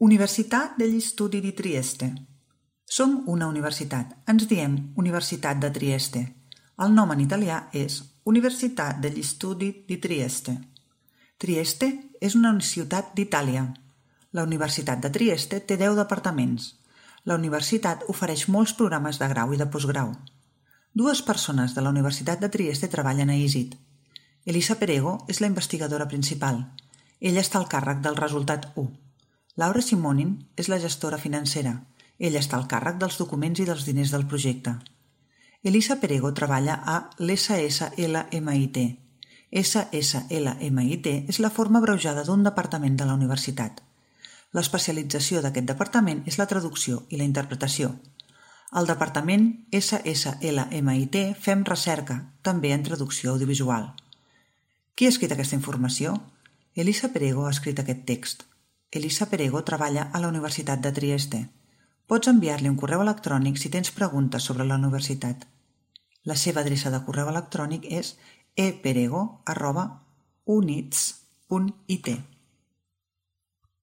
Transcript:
Universitat degli Studi di Trieste. Som una universitat. Ens diem Universitat de Trieste. El nom en italià és Universitat degli Studi di Trieste. Trieste és una ciutat d'Itàlia. La Universitat de Trieste té 10 departaments. La universitat ofereix molts programes de grau i de postgrau. 2 persones de la Universitat de Trieste treballen a ISIT. Elisa Perego és la investigadora principal. Ella està al càrrec del resultat 1. Laura Simonin és la gestora financera. Ella està al càrrec dels documents i dels diners del projecte. Elisa Perego treballa a l'SSLMIT. SSLMIT és la forma abreujada d'un departament de la universitat. L'especialització d'aquest departament és la traducció i la interpretació. Al departament SSLMIT fem recerca, també en traducció audiovisual. Qui ha escrit aquesta informació? Elisa Perego ha escrit aquest text. Elisa Perego treballa a la Universitat de Trieste. Pots enviar-li un correu electrònic si tens preguntes sobre la universitat. La seva adreça de correu electrònic és eperego@units.it.